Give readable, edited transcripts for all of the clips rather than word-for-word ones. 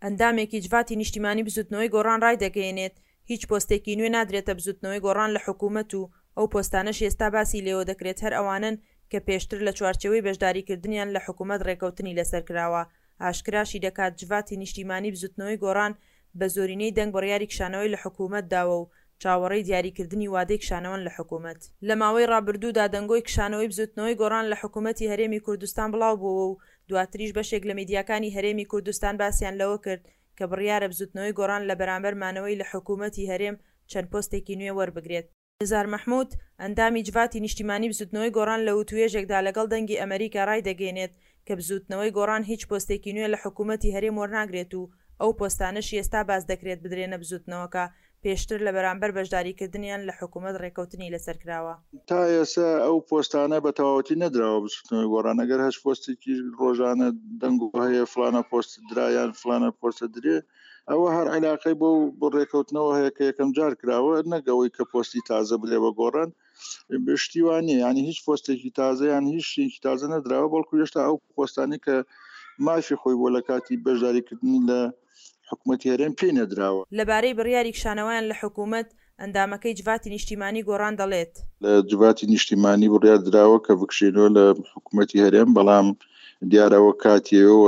ئەندامێکی جڤاتی نیشتیمانی بزوتنەوەی گۆڕان ڕایدەگەیەنێت، هیچ پۆستێکی نوێ نادرێتە بزوتنەوەی گۆڕان لە حکومەت و ئەو پۆستانەشی ئێستا باسی لێوەدەکرێت هەر ئەوانەن کە پێشتر لە چوارچێوەی بەشداریکردنیان لە حکومەت ڕێکەوتنی لەسەر کراوە. ئاشکراشی دەکات، جڤاتی نیشتیمانی بزوتنەوەی گۆڕان بە زۆرینەی دەنگ بڕیاری کشانەوەی لە حکومەت داوە و چاوەڕێی دیاریکردنی وادەی کشانەوەن لە حکومەت. لە ماوەی ڕابردوودا دەنگۆی کشانەوەی بزوتنەوەی گۆڕان لە حکومەتی هەرێمی کوردستان بڵاوبووەوە و دواتریش بەشێک لە میدیاکانی هەرێمی کوردستان باسیان لەوە کرد کە بڕیارە بزوتنەوەی گۆڕان لە بەرامبەر مانەوەی لە حکومەتی هەرێم چەند پۆستێکی نوێ وەربگرێت. نزار مەحمود، ئەندامی جڤاتی نیشتیمانی بزوتنەوەی گۆڕان لە وتوێژێکدا لەگەڵ دەنگی ئەمەریکا ڕایدەگەینێت کە بزوتنەوەی گۆڕان هیچ پۆستێکی نوێ لە حکومەتی هەرێم وەرناگرێت و ئەو پۆستانەشی ئێستا باس دەکرێت بدرێنە بزوتنەوەکە پێشتر لە بەرامبەر بەشداریکردنیان لە حکومەت ڕێکەوتنی لەسەر کراوە. تا ئێستا ئەو پۆستانە بە تەواوەتی نەدراوە بزوتنەوەی گۆڕان، ئەگەر هەچ پۆستێکیش ڕۆژانە دەنگۆ هەیە فڵانە پۆست درا یان فڵانە پۆستە درێ ئەوە هەر عیلاقەی بەو ڕێکەوتنەوە هەیە کە یەکەم جار کراوە نەک ئەوەی کە پۆستی تازە بدرێ بە گۆڕان شتی وا نییە یانی هیچ پۆستێکی تازە یان هیچ شتێکی تازە نەدراوە بەڵکو هێشتا ئەو پۆستانی کە مافی خۆی بۆ لە کاتی بەشداریکردنی لە حکومەتی هەرێم پێی نەدراوە. لەبارەی بڕیاری کشانەوەیان لە حکومەت، ئەندامەکەی جڤاتی نیشتیمانی گۆڕان دەڵێت. لە جڤاتی نیشتیمانی بڕیار دراوە کە بکشێنەوە لە حکومەتی هەرێم، بەڵام دیارە ئەوە کاتییە و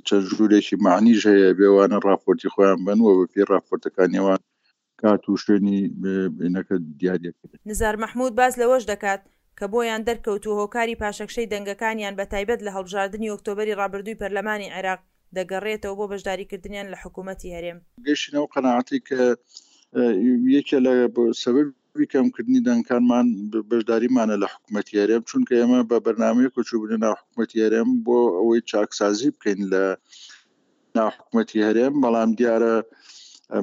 چەند ژوورێکی مەعنیش هەیە بێ ئەوانە ڕاپۆرتی خۆیان بەن و بەپێی ڕاپۆرتەکانی ئەوان کات و شوێنی بینەکە دیاریەکرێت. نزار مەحمود باس لەوەش دەکات، کە بۆیان دەرکەوتووە هۆکاری پاشەکشەی دەنگەکانیان بەتایبەت لە هەڵبژاردنی ئۆکتۆبەری ڕابردووی پەرلەمانی عێراق دەگەڕێتەوە بۆ بەشداریکردنیان لە حکوومەتی هەرێم. گەیشتینە ئەو قەناعەتەی کە یەکێ لە سەبەبی کەمکردنی دەنگەکانمان بەشداریمانە لە حکوومەتی هەرێم، چونکە ئێمە بە بەرنامەیەک چووبووینە ناو حکوومەتی هەرێم بۆ ئەوەی چاکسازی بکەین لە ناو حکومەتی هەرێم، بەڵام دیارە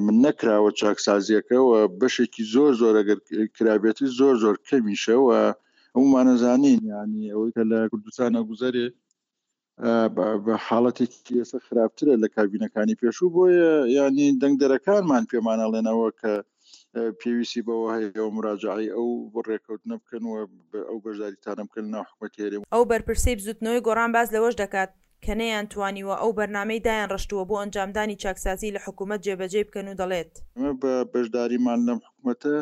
من نەکراوە چاکسازیەکە و بەشێکی زۆر زۆر ئەگەر کرابێتی زۆر زۆر کەمیشە و هەمومانەزانین ینی ئەوەی کە لە کوردستانە گوزەرێ بە حاڵەتێکی ئێستا خراپترە لە کابینەکانی پێشوو بۆیە ینی دەنگدەرەکانمان پێمانەڵێنەوە کە پێویستی بەوە هەیە و مراجعی ئەو ڕێکەوتنە بکەن و ئەو بەشداریتانە بکەن ناو حکومەتی هەرێم. ئەو بەرپرسەی بزوتنەوەی گۆڕان باس لەوەش دەکات، کە نەیانتوانیوە ئەو بەرنامەی دایانڕشتووە بۆ ئەنجامدانی چاکسازی لە حکومەت جێبەجێی بکەن و دەڵێت. ئێمە بە بەشداریمان لەم حکومەتە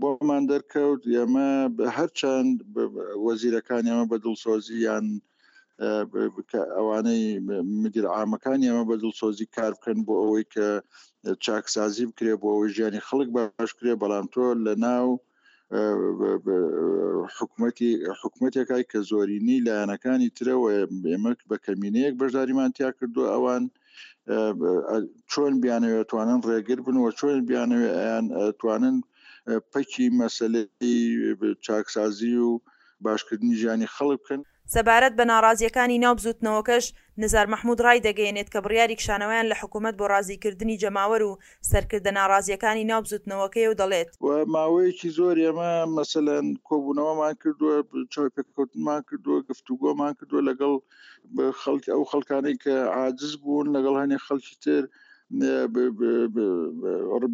بۆمان دەرکەوت ئێمە هەرچەند وەزیرەکانی ئێمە بە دڵسۆزی یان ئەوانەی مدیر عامەکانی ئێمە بە دڵسۆزی کار بکەن بۆ ئەوەی کە چاکسازی بکرێ بۆ ئەوەی ژیانی خەڵک باش کرێ بەڵام تۆ لە ناو حکومەتی حکومەتێکای کە زۆرینەی لایەنەکانی ترەوە ئێمە بە کەمینەیەک بەشداریمان تیا کردو ئەوان چۆن بیانەوێت توانن ڕێگر بن و چۆن بیانەوێت ئەیان توانن پەکی مەسلەی چاکسازی و باشکردنی ژیانی خەڵک بکەن. سەبارەت بە ناڕازییەکانی ناو بزووتنەوەکەش، نزار مەحموود ڕایدەگەیەنێت کە بڕیاری کشانەوەیان لە حکوومەت بۆ ڕازیکردنی جەماوەر و سەرکردە ناڕازییەکانی ناو بزووتنەوەکەیە و دەڵێت. و ماوەیەکی زۆر ئێمە مەسەلەن کۆبوونەوەمان کردووە، چاوپێکەوتنمان کردووە، گفتوگۆمان کردووە لەگەڵ خەڵک ئەو خەڵکانەی کە عاجز بوون لەگەڵ هەنێ خەڵکی تر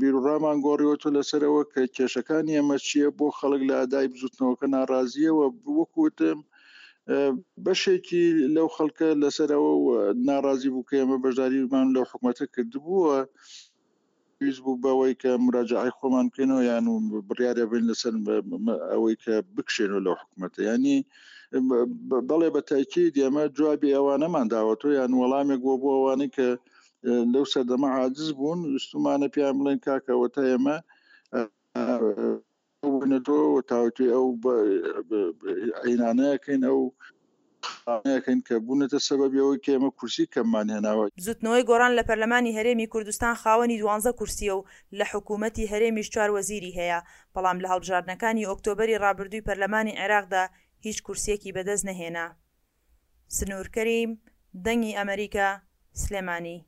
بیروڕامان گۆڕیوەتەوە لەسەرەوە کە کێشەکانی ئێمە چییە بۆ خەڵک لە ئەدای بزوتنەوەکە ناڕازیەوە وەکوتم بەشێکی لەو خەڵکە لەسەرەوە ناڕازی بوو کە ئێمە بەشداریمان لەو حکوومەتە کردبووە پێویست بوو بەوەی کە مراجعی خۆمان بکەینەوە یان و بڕیارە بین لەسەر ئەوەی کە بکشێنەوە لەو حکوومەتە ینی بەڵێ بە تاکیید ئێمە جوابی ئەوانەمان داوەتەوە یان وەڵامێک بۆ بۆ ئەوانەی کە لەو سەردەمە عاجز بوون ویستومانە پێیان بڵێن کاکەوە تا ئێمە بووینەتەوە و تاوتوێ ئەو عینانەیەکەین ئەو خانەیەکەین کە بوونەتە سەبەبی ئەوەی کە ئێمە کورسی کەممان هێناوە. بزوتنەوەی گۆڕان لە پەرلەمانی هەرێمی کوردستان خاوەنی دوانزە کورسییە و لە حکوومەتی هەرێمیش چوار وەزیری هەیە، بەڵام لە هەڵبژاردنەکانی ئۆکتۆبەری ڕابردووی پەرلەمانی عێراقدا هیچ کورسییەکی بەدەست نەهێنا. سنوور کەریم، دەنگی ئەمەریکا، سلێمانی.